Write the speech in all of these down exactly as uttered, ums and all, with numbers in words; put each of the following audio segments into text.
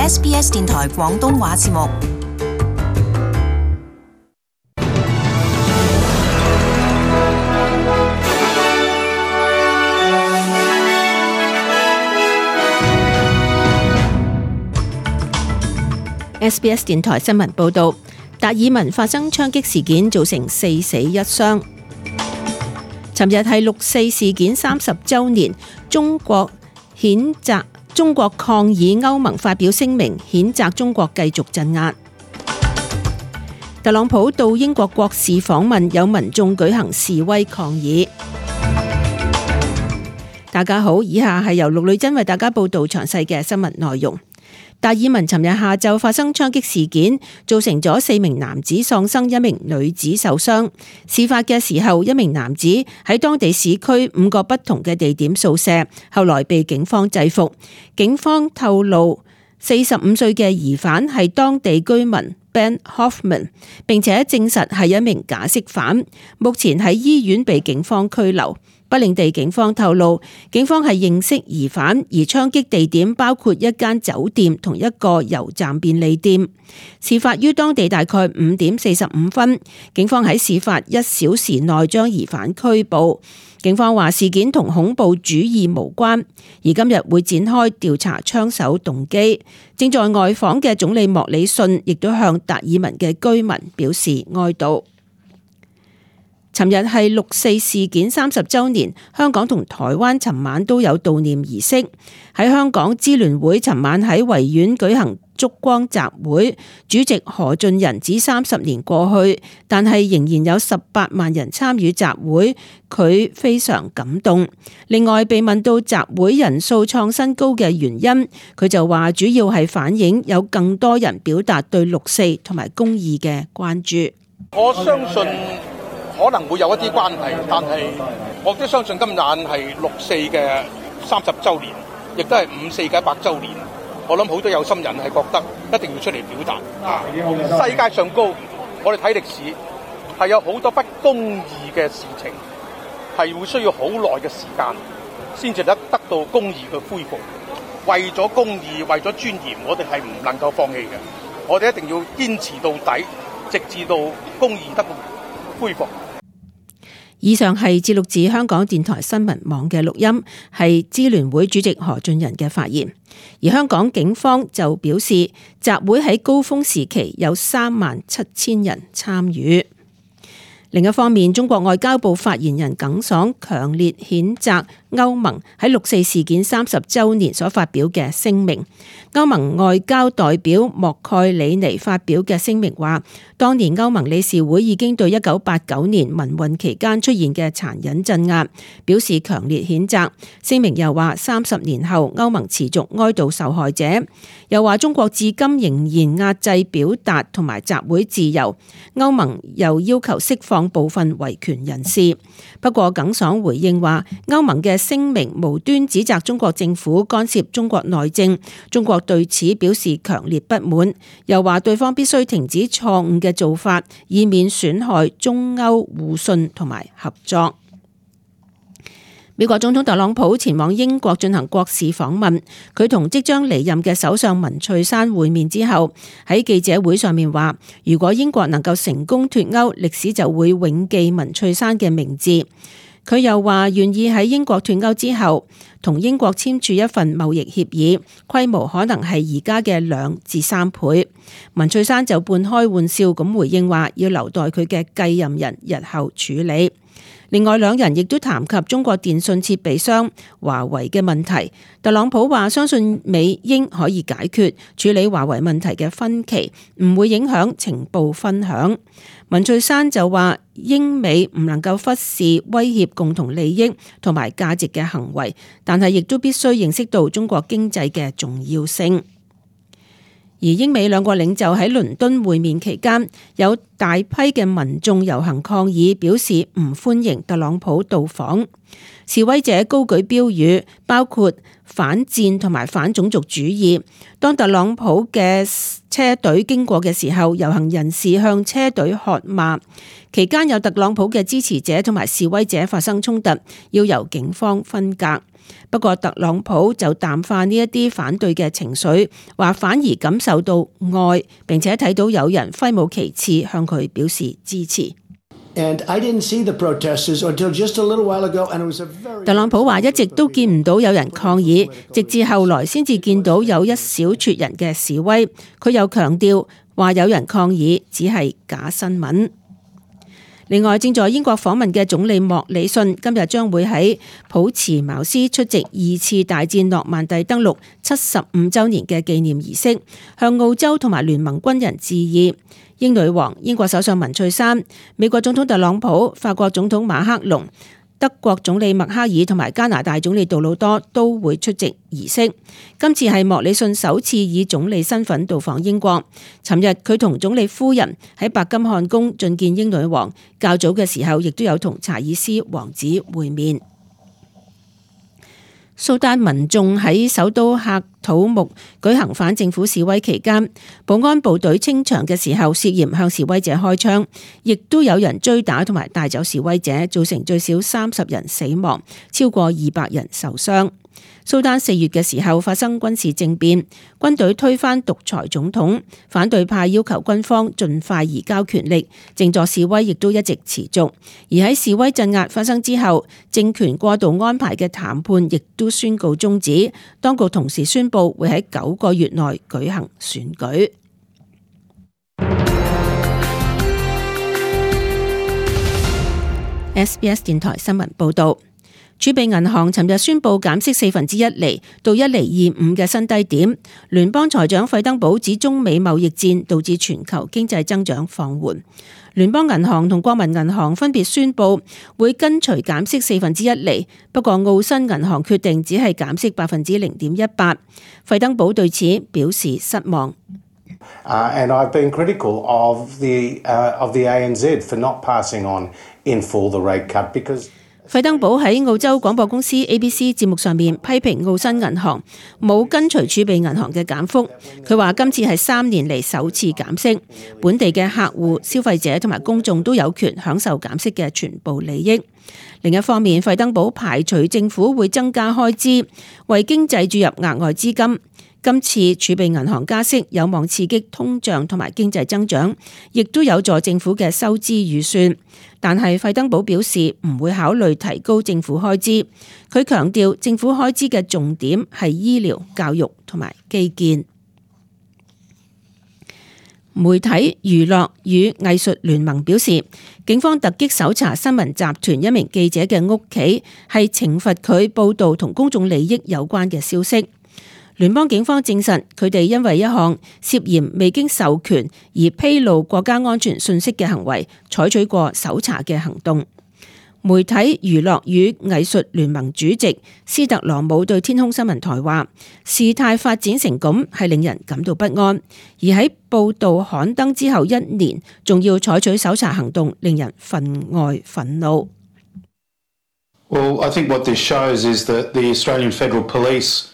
S B S 電台廣東話節目。S B S 電台新聞報道，達爾文發生槍擊事件，造成四死一傷。尋日係六四事件三十週年，中國譴責中國抗議，歐盟發表聲明譴責中國繼續鎮壓。特朗普到英國國事訪問，有民眾舉行示威抗議。大家好，以下係由陸女真為大家報道詳細嘅新聞內容。達爾文尋日下晝發生槍擊事件，造成咗四名男子喪生，一名女子受傷。事發嘅時候，一名男子喺當地市區五個不同嘅地點掃射，後來被警方制服。警方透露，四十五歲嘅疑犯係當地居民 Ben Hoffman， 並且證實係一名假釋犯，目前喺醫院被警方拘留。不領地警方透露，警方係認識疑犯，而槍擊地點包括一間酒店同一個油站便利店。事發於當地大概五點四十五分，警方喺事發一小時內將疑犯拘捕。警方話事件同恐怖主義無關，而今日會展開調查槍手動機。正在外訪嘅總理莫里遜亦都向達爾文嘅居民表示哀悼。尋日係六四事件三十週年，香港同台灣尋晚都有悼念儀式。喺香港，支聯會尋晚喺維園舉行燭光集會，主席何俊仁指三十年過去，但係仍然有十八萬人參與集會，佢非常感動。另外被問到集會人數創新高嘅原因，佢就話主要係反映有更多人表達對六四同埋公義嘅關注。我相信可能會有一啲關係，但係我都相信今晚係六四嘅三十週年，亦都係五四嘅一百週年。我諗好多有心人係覺得一定要出嚟表達。啊，世界上高，我哋睇歷史係有好多不公義嘅事情，係會需要好耐嘅時間先至得得到公義嘅恢復。為咗公義，為咗尊嚴，我哋係唔能夠放棄嘅。我哋一定要堅持到底，直至到公義得到恢復。以上係節錄自香港電台新聞網嘅錄音，係支聯會主席何俊仁嘅發言。而香港警方就表示，集會喺高峰時期有三萬七千人參與。另一方面，中國外交部發言人耿爽強烈譴責歐盟喺六四事件三十週年所發表嘅聲明。歐盟外交代表莫蓋里尼發表嘅聲明話，當年歐盟理事會已經對一九八九年民運期間出現嘅殘忍鎮壓表示強烈譴責。聲明又話，三十年後歐盟持續哀悼受害者，又話中國至今仍然壓制表達同埋集會自由。歐盟又要求釋放部分維權人士。不過耿爽回應話，歐盟嘅聲明無端指責中國政府干涉中國內政，中國對此表示強烈不滿，又話對方必須停止錯誤嘅做法，以免損害中歐互信同埋合作。美國總統特朗普前往英國進行國事訪問，佢同即將離任嘅首相文翠珊會面之後，喺記者會上面話，如果英國能夠成功脫歐，歷史就會永記文翠珊嘅名字。佢又話願意喺英國脫歐之後，同英國簽署一份貿易協議，規模可能係而家嘅兩至三倍。文翠珊就半開玩笑咁回應話，要留待佢嘅繼任人日後處理。另外兩人亦都談及中國電信設備商華為嘅問題。特朗普話相信美英可以解決處理華為問題嘅分歧，唔會影響情報分享。文翠珊就話英美唔能夠忽視威脅共同利益同埋價值嘅行為，但係亦都必須認識到中國經濟嘅重要性。而英美兩國領袖喺倫敦會面期間，有大批嘅民眾遊行抗議，表示唔歡迎特朗普到訪。示威者高舉標語，包括反戰同埋反種族主義。當特朗普嘅車隊經過嘅時候，遊行人士向車隊喝罵。期間有特朗普嘅支持者同埋示威者發生衝突，要由警方分隔。不過特朗普就淡化呢一啲反對嘅情緒，話反而感受到愛，並且睇到有人揮舞旗幟向佢表示支持。特朗普話一直都見唔到有人抗議，直至後來先至見到有一小撮人嘅示威。佢又強調話有人抗議只係假新聞。另外，正在英國訪問嘅總理莫里遜今日將會喺普茨茅斯出席二次大戰諾曼第登陸七十五週年嘅紀念儀式，向澳洲同埋聯盟軍人致意。英女王、英國首相文翠珊、美國總統特朗普、法國總統馬克龍、德國總理默克爾同埋加拿大總理杜魯多都會出席儀式。今次係莫里遜首次以總理身份到訪英國。尋日佢同總理夫人喺白金漢宮覲見英女王，較早嘅時候亦都有同查爾斯王子會面。蘇丹民眾喺首都喀土穆舉行反政府示威期間，保安部隊清場嘅時候涉嫌向示威者開槍，亦都有人追打同埋帶走示威者，造成最少三十人死亡，超過二百人受傷。蘇丹四月嘅時候發生軍事政變，軍隊推翻獨裁總統，反對派要求軍方盡快移交權力，靜坐示威亦都一直持續。而喺示威鎮壓發生之後，政權過渡安排嘅談判亦都宣告終止，當局同時宣布會喺九個月內舉行選舉。S B S 電台新聞報道。儲備銀行尋日宣布減息四分之一厘到一厘二五嘅新低點。聯邦財長費登堡指中美貿易戰導致全球經濟增長放緩。聯邦銀行同國民銀行分別宣布會跟隨減息四分之一厘，不過澳新銀行決定只係減息百分之零點一八。費登堡對此表示失望。Uh, and I've been critical of the, uh, of the A N Z for not passing on in full the rate cut because費登堡喺澳洲廣播公司 A B C 節目上面批評澳新銀行冇跟隨儲備銀行嘅減幅。佢話今次係三年嚟首次減息，本地嘅客戶、消費者同埋公眾都有權享受減息嘅全部利益。另一方面，費登堡排除政府會增加開支，為經濟注入額外資金。今次儲備銀行加息有望刺激通脹同埋經濟增長，亦都有助政府嘅收支預算。但係費登堡表示唔會考慮提高政府開支。佢強調政府開支嘅重點係醫療、教育同埋基建。媒體、娛樂與藝術聯盟表示，警方突擊搜查新聞集團一名記者嘅屋企，係懲罰佢報導同公眾利益有關嘅消息。聯邦警方證實，佢哋因為一項涉嫌未經授權而披露國家安全信息嘅行為，採取過搜查嘅行動。媒體、娛樂與藝術聯盟主席斯特羅姆對天空新聞台話：事態發展成咁係令人感到不安，而喺報導刊登之後一年，仲要採取搜查行動，令人分外憤怒。Well, I think what this shows is that the Australian Federal Police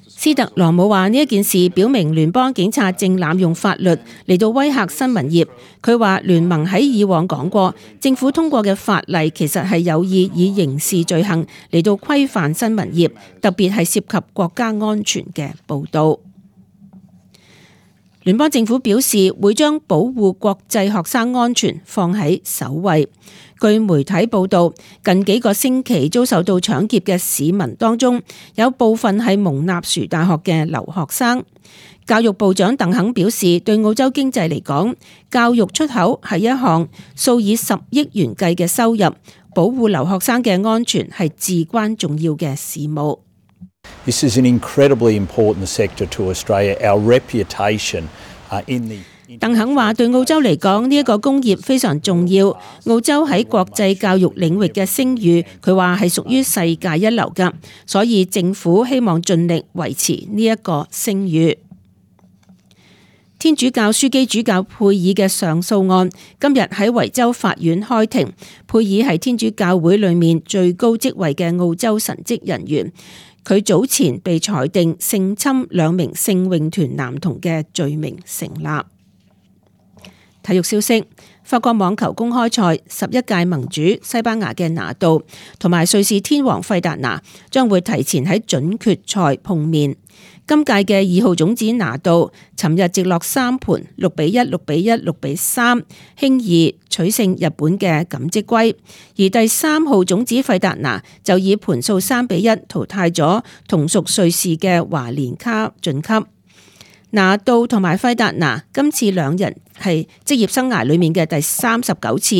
斯特羅姆話：呢一件事表明聯邦警察正濫用法律嚟到威嚇新聞業。佢話聯盟喺以往講過，政府通過嘅法例其實係有意以刑事罪行嚟到規範新聞業，特別係涉及國家安全嘅報導。聯邦政府表示會將保護國際學生安全放喺首位。據媒體報道，近幾個星期遭受到搶劫嘅市民當中，有部分係蒙納殊大學嘅留學生。教育部長鄧肯表示，對澳洲經濟嚟講，教育出口係一項數以十億元計嘅收入，保護留學生嘅安全係至關重要嘅事務。This is an incredibly important sector to Australia. Our reputation in the鄧肯話：對澳洲嚟講，呢一個工業非常重要。澳洲喺國際教育領域嘅聲譽，佢話係屬於世界一流㗎，所以政府希望盡力維持呢一個聲譽。天主教樞機主教佩爾嘅上訴案今日喺維州法院開庭。佩爾係天主教會裏面最高職位嘅澳洲神職人員，佢早前被裁定性侵兩名聖詠團男童嘅罪名成立。體育消息：法國網球公開賽十一屆盟主西班牙嘅拿度同埋瑞士天王費達拿將會提前喺準決賽碰面。今屆嘅二號種子拿度尋日直落三盤六比一、六比一、六比三，輕易取勝日本嘅錦織圭，而第三號種子費達拿就以盤數三比一淘汰咗同屬瑞士嘅華連卡晉級。拿度同埋費達拿今次兩人係職業生涯裏面嘅第三十九次，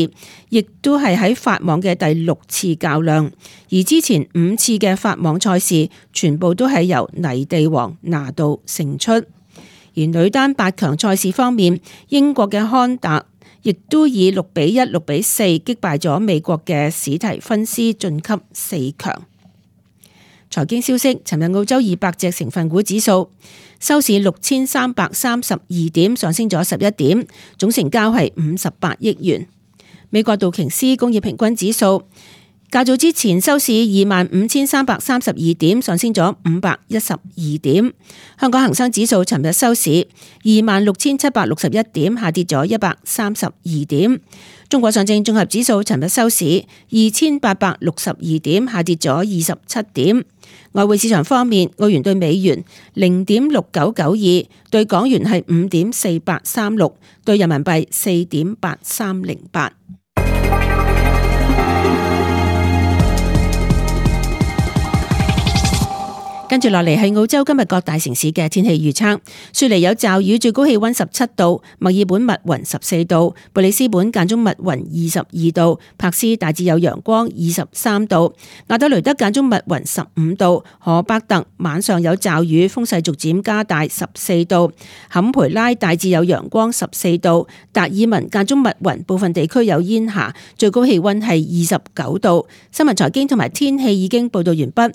亦都係喺法網嘅第六次較量，而之前五次嘅法網賽事全部都係由泥地王拿度勝出。而女單八強賽事方面，英國嘅康達亦都以六比一、六比四擊敗咗美國嘅史提芬斯晉級四強。財經消息，尋日澳洲二百隻成分股指數收市六千三百三十二點，上升咗十一點，總成交係五十八億元。美國道瓊斯工業平均指數較早之前收市二萬五千三百三十二點，上升咗五百一十二點。香港恒生指數尋日收市二萬六千七百六十一點，下跌咗一百三十二點。中國上證綜合指數尋日收市二千八百六十二點，下跌咗二十七點。外匯市場方面，澳元對美元零點六九九二，對港元係五點四八三六，對人民幣四點八三零八。跟住落嚟係澳洲今日各大城市嘅天氣預測。雪梨有驟雨，最高氣溫十七度；墨爾本密雲十四度；布里斯本間中密雲二十二度；柏斯大致有陽光二十三度；亞德雷德間中密雲十五度；荷伯特晚上有驟雨，風勢逐漸加大十四度；坎培拉大致有陽光十四度；達爾文間中密雲，部分地區有煙霞，最高氣溫係二十九度。新聞財經同埋天氣已經報道完畢。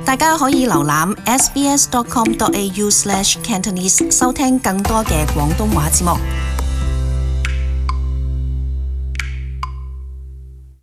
大家可以瀏覽 s b s dot com dot a u slash cantonese 收聽更多嘅廣東話節目。